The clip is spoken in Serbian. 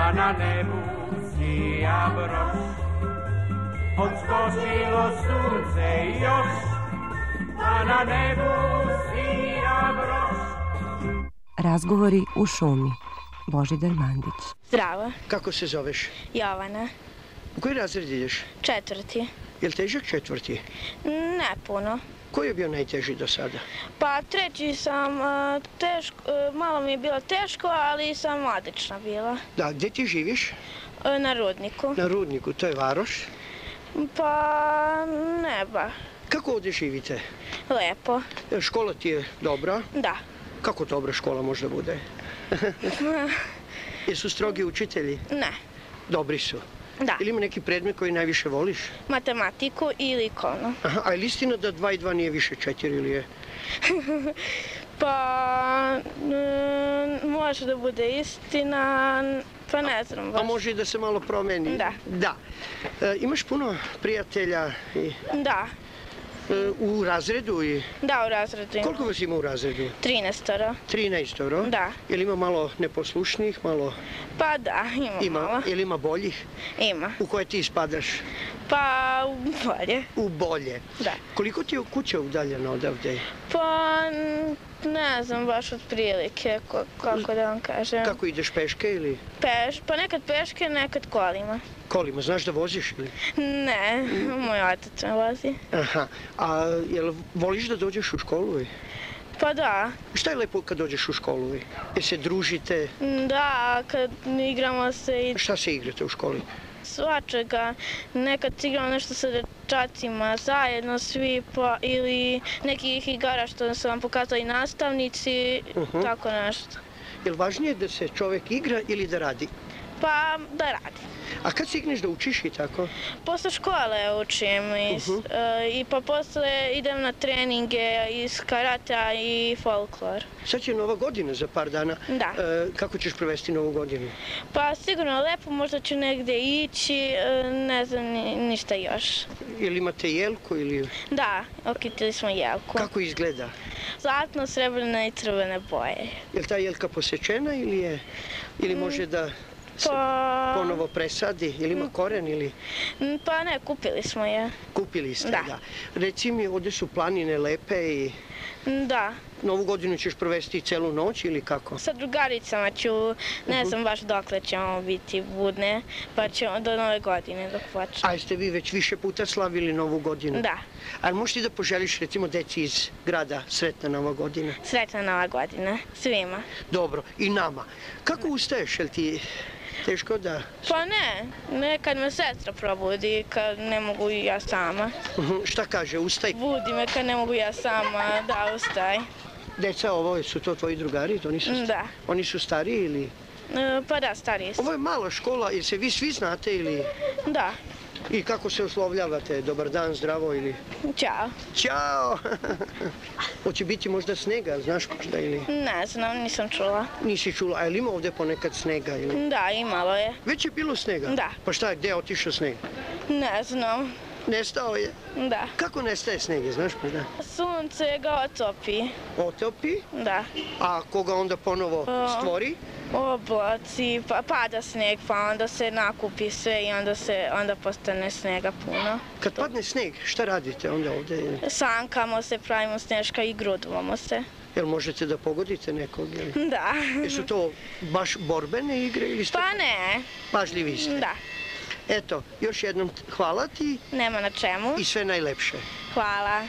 a na nebu sija broš. Odskočilo sunce još, a na nebu sija broš. Razgovori u šumi. Božidar Mandić. Zdravo. Kako se zoveš? Jovana. U koji razred ideš? 4. Je li težak 4? Ne puno. Koji je bio najteži do sada? Pa 3. sam malo mi je bilo teško, ali sam odlična bila. Da, gdje ti živiš? Na Rudniku. Na Rudniku, to je Varoš? Pa ne ba. Kako ovdje živite? Lepo. Škola ti je dobra? Da. Kako dobra škola možda bude? Jesu strogi učitelji? Ne. Dobri su. Da. Ili ima neki predmet koji najviše voliš? Matematiku i likovno. Aha, a je li istina da 2 i 2 nije više 4 ili je? Pa može da bude istina, pa ne znam baš. A može i da se malo promeni? Da. Da. Imaš puno prijatelja? Da. U razredu? Da, u razredu. Koliko vas ima u razredu? 13. 13? Da. Je li ima malo neposlušnih, malo... Pa da, ima malo. Je li ima boljih? Ima. U koje ti spadaš? Pa u bolje. U bolje? Da. Koliko ti je kuća udaljena odavde? Pa ne znam baš otprilike, kako da vam kažem. Kako ideš, peške ili? Pa nekad peške, nekad kolima. Kolima, znaš da voziš ili? Ne, moj otac me vozi. Aha, a jel voliš da dođeš u školu? Pa da. Šta je lepo kad dođeš u školu? Jel se družite? Da, kad igramo se i... Šta se igrate u školi? Svačega. Nekad igramo nešto sa dečacima, zajedno svi, pa ili nekih igara što su vam pokazali nastavnici, tako nešto. Jel važnije da se čovjek igra ili da radi? Pa da radi. A kad stigneš da učiš i tako? Posle škole učim i pa posle idem na treninge iz karatea i folklor. Sad će Nova godina za par dana. Da. Kako ćeš provesti Novu godinu? Pa sigurno lepo, možda ću negdje ići, ne znam ništa još. Jel imate jelku ili... Da, okitili smo jelku. Kako izgleda? Zlatno, srebrne i crvene boje. Je li ta jelka posečena ili može da se ponovo presadi? Ili ima koren ili... Pa ne, kupili smo je. Kupili ste, da. Reci mi, ovdje su planine lepe i... Da. Novu godinu ćeš provesti celu noć ili kako? Sa drugaricama ću, ne znam baš dokle ćemo biti budne, pa ćemo do Nove godine dok počne. A jeste vi već više puta slavili Novu godinu? Da. Ali možeš ti da poželiš recimo deci iz grada Sretna Nova godina? Sretna Nova godina, svima. Dobro, i nama. Kako ustaješ, jel ti... Teško da... Pa ne, nekad me sestra probudi kad ne mogu i ja sama. Šta kaže, ustaj? Budi me kad ne mogu ja sama, da ustaj. Deca, ovo su to tvoji drugari? Da. Oni su stariji ili? Pa da, stariji su. Ovo je mala škola, jer se vi svi znate ili? Da. I kako se oslovljavate? Dobar dan, zdravo ili? Ćao. Ćao! Hoće biti možda snega, znaš možda ili? Ne znam, nisam čula. Nisi čula, a je li ima ovdje ponekad snega ili? Da, imalo je. Već je bilo snega? Da. Pa šta, gdje je otišao sneg? Ne znam. Nestao je? Da. Kako nestaje sneg, znaš možda? Sunce ga otopi. Otopi? Da. A koga onda ponovo stvori? Oblaci, pa pada sneg, pa onda se nakupi sve i onda postane snega puno. Kad padne sneg, šta radite onda ovdje? Sankamo se, pravimo sneška i grudvamo se. Jel možete da pogodite nekog? Da. Jesu to baš borbene igre ili ste... Pa ne. Pažljivi ste? Da. Eto, još jednom hvala ti. Nema na čemu. I sve najlepše. Hvala.